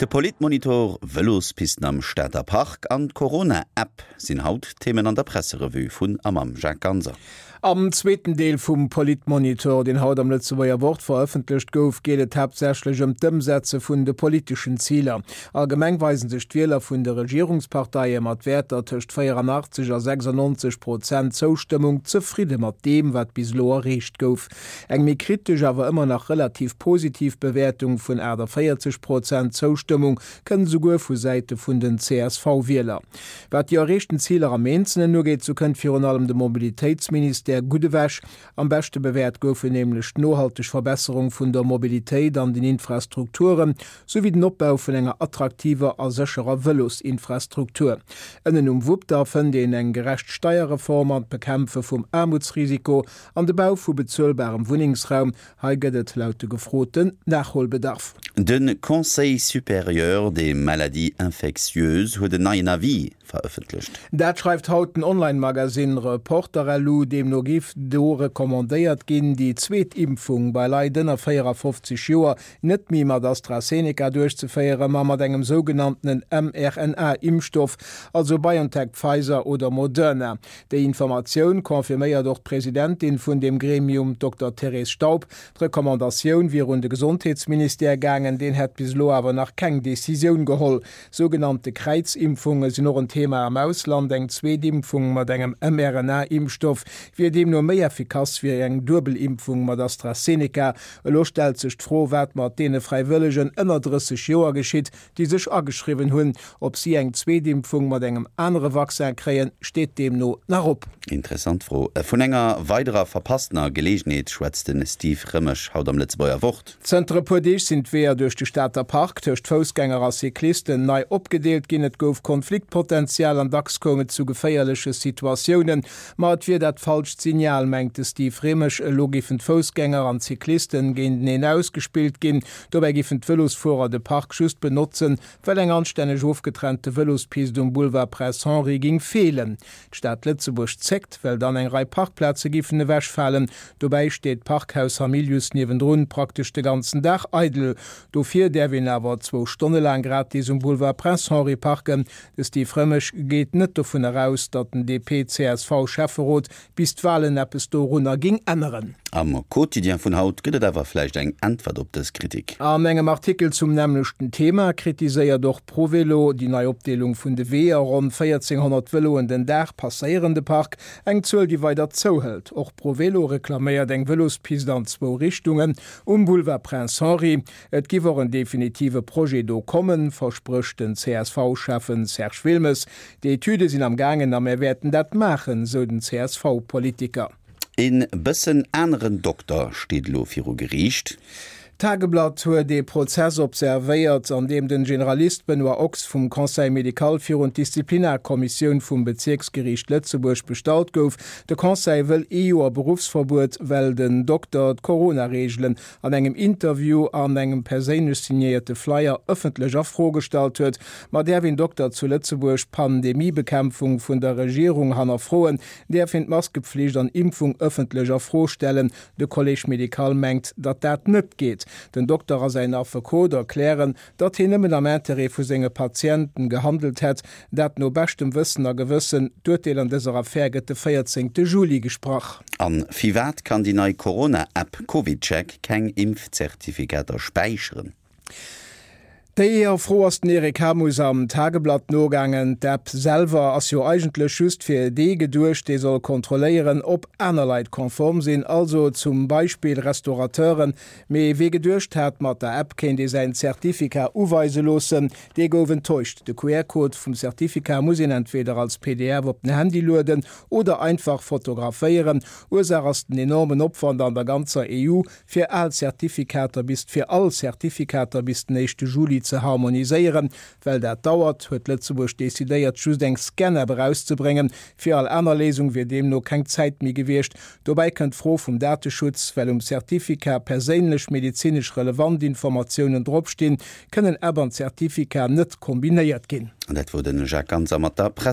De Politmonitor, Vëlospisten am Stater Park an d'Corona-App sinn haut Themen an der Presserevue vun a mam Jacques Ganser. Am zweeten Deel vum Politmonitor, deen haut am Lëtzebuerger Wort verëffentlecht gouf, geet et haaptsächlech ëm d'Ëmsetze vun de politeschen Ziler. Allgemeng weisen sech d'Wieler vun de Regierungsparteie mat Wäerter tëscht 84 a 96 Prozent Zoustëmmung zefridde mat deem, wat bis elo erreecht gouf. Eng méi kritesch, awer ëmmer nach relativ positiv Bewäertung vun 48 Prozent Zoustëmmung kënnt esouguer vu Säite vun den CSV-Wieler. Wat déi erreechten Ziler am Eenzelen ugeet, sou kënnt virun allem de Mobilitéitsministère gutt ewech. Am beschte bewäert goufen nämlech d'nohalteg Verbesserung vun der Mobilitéit an den Infrastrukturen, souwéi den Opbau vun enger attraktiver a sécherer Vëlosinfrastruktur. Ënnen um Wupp da fënnt een eng gerecht Steierreform an d'Bekämpfe vum Aarmutsrisiko an de Bau vu bezuelbarem Wunnengsraum, Hei gëtt et laut de Gefroten Nachholbedarf. De Conseil supérieur des maladies infectieuses huet en neien Avis verëffentlecht. Dat schreift haut den Online-Magasinn Reporter-LU. Deemno géif do recommandéiert ginn, déi zweet Impfung bei Leit ënner 54 Joer net méi mat AstraZeneca duerchzeféieren, ma mat engem sougenanntenen mRNA-Impfstoff, also BioNTech, Pfizer oder Moderna. Déi Informatioun confirméiert och d'Presidentin vun deem Gremium, d'Dokter Thérèse Staub. D'Recommandatioun wier un de Gesondheetsministère gaangen, deen hätt bis elo awer nach keng Decisioun geholl. Sougenannte Kräizimpfunge sinn och en Thema am Ausland. Eng zweet Impfung mat engem mRNA-Impfstoff wier deemno méi effikass wéi eng duebel Impfung mat AstraZeneca. Elo stellt sech d'Fro, wat mat deene Fräiwëllegen ënner 30 Joer geschitt, déi sech ageschriwwen hunn. Ob si eng zweet Impfung mat engem anere Vaccin kréien, steet deemno nach op. Interessant Fro. Vun enger weiderer verpasstener Geleegenheet schwätzt de Steve Remisch haut am Lëtzebuerger Wort. Zënter e puer Deeg sinn d'Weeër duerch de Stater Park tëscht Foussgänger a Cyclisten nei opgedeelt ginn. Et gouf Konfliktpotenzial an dacks koum et zu geféierleche Situatiounen. Ma et wier dat falscht Signal, mengt de Steve Remisch. Elo géifen d'Foussgänger an d'Cyclisten géinteneen ausgespillt ginn. Dobäi giffen d'Vëlosfuerer de Park just benotzen, well eng anstänneg ofgetrennte Vëlospist um Boulevard Prince Henri ging feelen. D'Stad Lëtzebuerg zéckt, well dann eng Rei Parkplaze giffen ewechfalen. Dobäi steet d'Parkhaus Hamilius niewendrun praktesch de ganzen Dag eidel. Dofir däerf een awer zwou Stonne laang gratis um Boulevard Prince Henri parken. De Steve Remisch geet net dovunner aus, datt den DP-CSV-Schäfferot bis d'Walen eppes dorunner ging änneren. Am Quotidien vun haut gëtt et awer vläicht eng Äntwert op dës Kritik. An engem Artikel zum nämmlechten Thema kritiséiert och ProVelo déi nei Opdeelung vun de Weeër. Ronn 1400 Vëloen den Dag passéieren de Park, eng Zuel déi weider zouhëlt. Och ProVelo reklaméiert eng Vëlospist an zwou Richtungen um Boulevard Prince Henri. Et giff och en definitive Projet do kommen, versprécht den CSV-Schäffen Serge Wilmes. Déi Etüde sinn am gaangen a mär wäerten dat maachen, sou den CSV-Politiker. E bëssen aneren Dokter steet elo viru Geriicht. D'Tageblatt huet ee Prozess observéiert, an deem den Generalist Benoît Ochs vum Conseil médical virun d'Disziplinarkommissioun vum Bezierksgeriicht Lëtzebuerg bestallt gouf. De Conseil wëll ee Joer Beruffsverbuet, well den Dokter d'Corona-Reegelen an engem Interview an engem perséinlech signéierte Flyer ëffentlech a Fro gestallt huet. Ma däerf een Dokter zu Lëtzebuerg d'Pandemiebekämpfung vun der Regierung hannerfroen? Däerf een d'Maskepflicht an Impfung ëffentlech a Fro stellen? De Collège médical mengt, datt dat net geet. Den Dokter a säin Affekot erklären, datt hien nëmmen am Interêt vu senge Patienten gehandelt hätt, dat no beschtem Wëssen a Gewëssen. D'Urteel an dëser Affär gëtt de 14 Juli gesprach. A firwat kann déi nei Corona-App CovidCheck keng Impfzertifikater späicheren? Déi Fro ass den Eric Hamus am Tageblatt nogaangen. D'App selwer ass jo eigentlech just fir dee geduecht, dee soll kontrolléieren, ob aner Leit konform sinn, also zum Beispill Restaurateuren. Mee wee geduecht hat, mat der App kéint ee säin Certificat uweise loossen, dee gouf enttäuscht. De QR-Code vum Certificat muss een entweder als pdf op den Handy lueden oder einfach fotograféieren. Ursaach ass den enormen Opwand an der ganzer EU, fir al Certificater bis fir all Certificater bis den éischte Juli ze harmoniséieren. Well dat dauert, huet Lëtzebuerg decidéiert, just eng Scan-App erauszebréngen. Fir all aner Léisung wier deemno keng Zäit méi gewiescht. Dobäi kënnt d'Fro vum Dateschutz, Well um Certificat perséinlech medezinesch relevant Informatiounen dropstinn, kënnen App an Certificat net kombinéiert ginn. An dat wor de Jacques Ganser mat der Press.